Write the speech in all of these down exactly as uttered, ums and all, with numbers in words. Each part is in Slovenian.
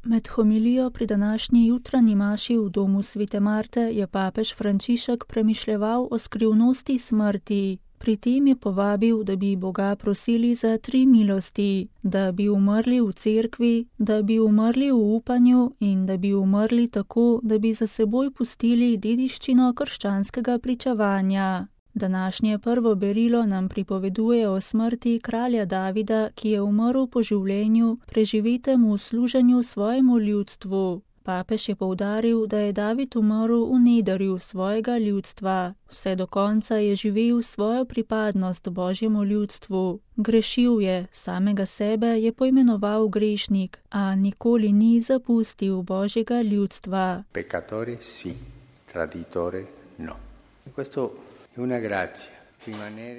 Med homilijo pri današnji jutranji maši v domu Svete Marte je papež Frančišek premišljeval o skrivnosti smrti. Pri tem je povabil, da bi Boga prosili za tri milosti, da bi umrli v cerkvi, da bi umrli v upanju in da bi umrli tako, da bi za seboj pustili dediščino krščanskega pričevanja. Današnje prvo berilo nam pripoveduje o smrti kralja Davida, ki je umrl po življenju, preživetem v služenju svojemu ljudstvu. Papež je poudaril, da je David umrl v nedarju svojega ljudstva. Vse do konca je živel svojo pripadnost Božjemu ljudstvu. Grešil je, samega sebe je poimenoval grešnik, a nikoli ni zapustil Božjega ljudstva. Peccatore sì, traditore no. Questo è una grazia.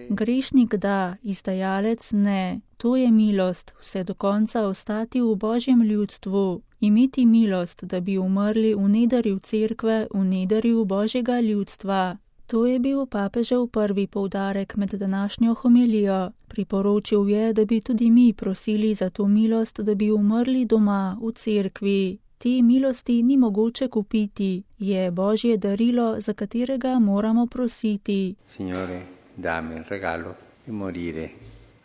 Grešnik da, izdajalec ne. To je milost, vse do konca ostati v Božjem ljudstvu. Imeti milost, da bi umrli v nedarju cerkve, v nedarju Božjega ljudstva. To je bil papežev prvi poudarek med današnjo homilijo. Priporočil je, da bi tudi mi prosili za to milost, da bi umrli doma, v cerkvi. Te milosti ni mogoče kupiti, je Božje darilo, za katerega moramo prositi. Signore, dammi il regalo di morire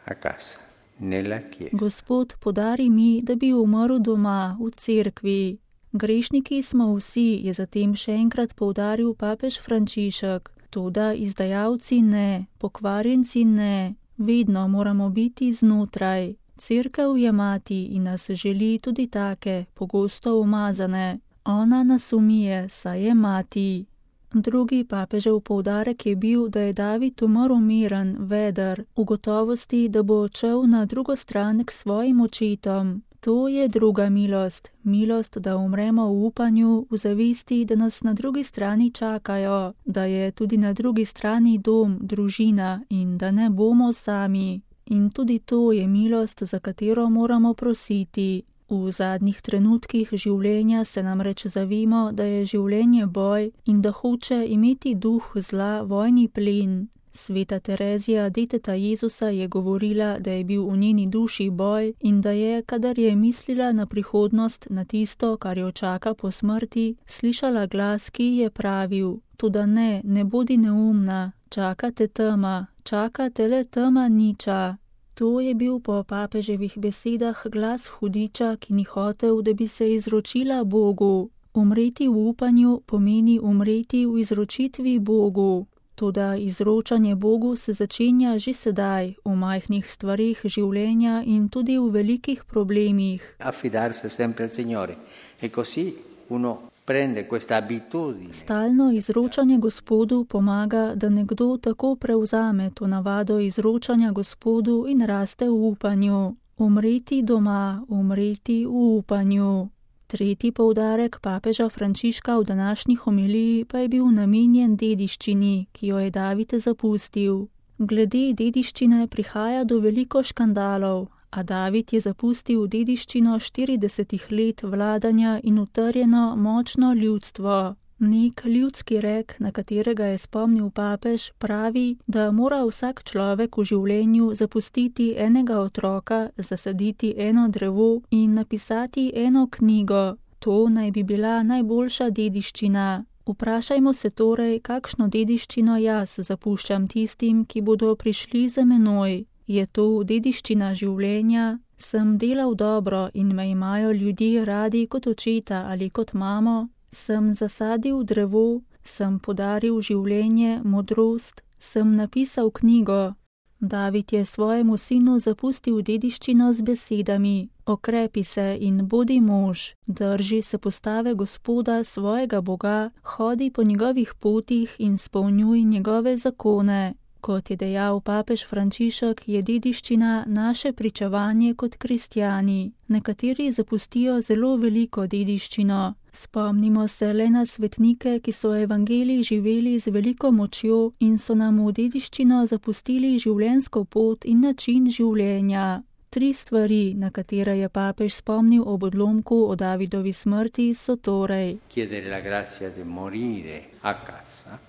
a casa, nella chiesa. Gospod, podari mi, da bi umrl doma, v cerkvi. Grešniki smo vsi, je zatem še enkrat poudaril papež Frančišek. Toda izdajalci ne, pokvarjenci ne, vedno moramo biti znotraj. Cerkev je mati in nas želi tudi take, pogosto umazane. Ona nas umije, saj je mati. Drugi papežev poudarek je bil, da je David umrl miren, veder, v gotovosti, da bo odšel na drugo stran k svojim očetom. To je druga milost, milost, da umremo v upanju, v zavesti, da nas na drugi strani čakajo, da je tudi na drugi strani dom, družina in da ne bomo sami. In tudi to je milost, za katero moramo prositi. V zadnjih trenutkih življenja se namreč zavemo, da je življenje boj in da hoče imeti duh zla vojni plen. Sveta Terezija, deteta Jezusa, je govorila, da je bil v njeni duši boj in da je, kadar je mislila na prihodnost, na tisto, kar jo čaka po smrti, slišala glas, ki je pravil: toda ne, ne bodi neumna, čaka te tema, čaka te le tema niča. To je bil po papeževih besedah glas hudiča, ki ni hotel, da bi se izročila Bogu. Umreti v upanju pomeni umreti v izročitvi Bogu. Toda izročanje Bogu se začenja že sedaj, v majhnih stvarih življenja in tudi v velikih problemih. Affidarsi sempre al Signore. E così uno prende questa abitudine. Stalno izročanje Gospodu pomaga, da nekdo tako prevzame to navado izročanja Gospodu in raste v upanju. Umreti doma, umreti v upanju. Tretji poudarek papeža Frančiška v današnji homiliji pa je bil namenjen dediščini, ki jo je David zapustil. Glede dediščine prihaja do veliko škandalov, a David je zapustil dediščino štiridesetih let vladanja in utrjeno močno ljudstvo. Nek ljudski rek, na katerega je spomnil papež, pravi, da mora vsak človek v življenju zapustiti enega otroka, zasaditi eno drevo in napisati eno knjigo. To naj bi bila najboljša dediščina. Vprašajmo se torej, kakšno dediščino jaz zapuščam tistim, ki bodo prišli za menoj. Je to dediščina življenja? Sem delal dobro in me imajo ljudje radi kot očeta ali kot mamo? Sem zasadil drevo, sem podaril življenje, modrost, sem napisal knjigo. David je svojemu sinu zapustil dediščino z besedami: okrepi se in bodi mož, drži se postave Gospoda svojega Boga, hodi po njegovih potih in spolnjuj njegove zakone. Kot je dejal papež Frančišek, je dediščina naše pričevanje kot kristjani. Nekateri zapustijo zelo veliko dediščino. Spomnimo se le na svetnike, ki so evangelij živeli z veliko močjo in so nam v dediščino zapustili življenjsko pot in način življenja. Tri stvari, na katere je papež spomnil ob odlomku o Davidovi smrti, so torej: Chiedere la grazia di morire a casa.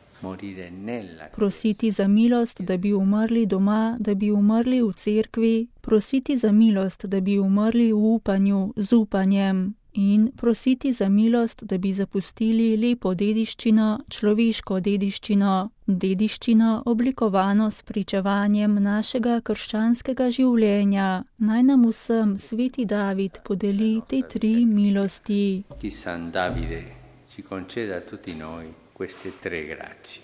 Prositi za milost, da bi umrli doma, da bi umrli v cerkvi, prositi za milost, da bi umrli v upanju, z upanjem in prositi za milost, da bi zapustili lepo dediščino, človeško dediščino, dediščino oblikovano s pričevanjem našega krščanskega življenja. Naj nam vsem sveti David podeli te tri milosti. Chi San Davide ci conceda a tutti noi queste tre grazie.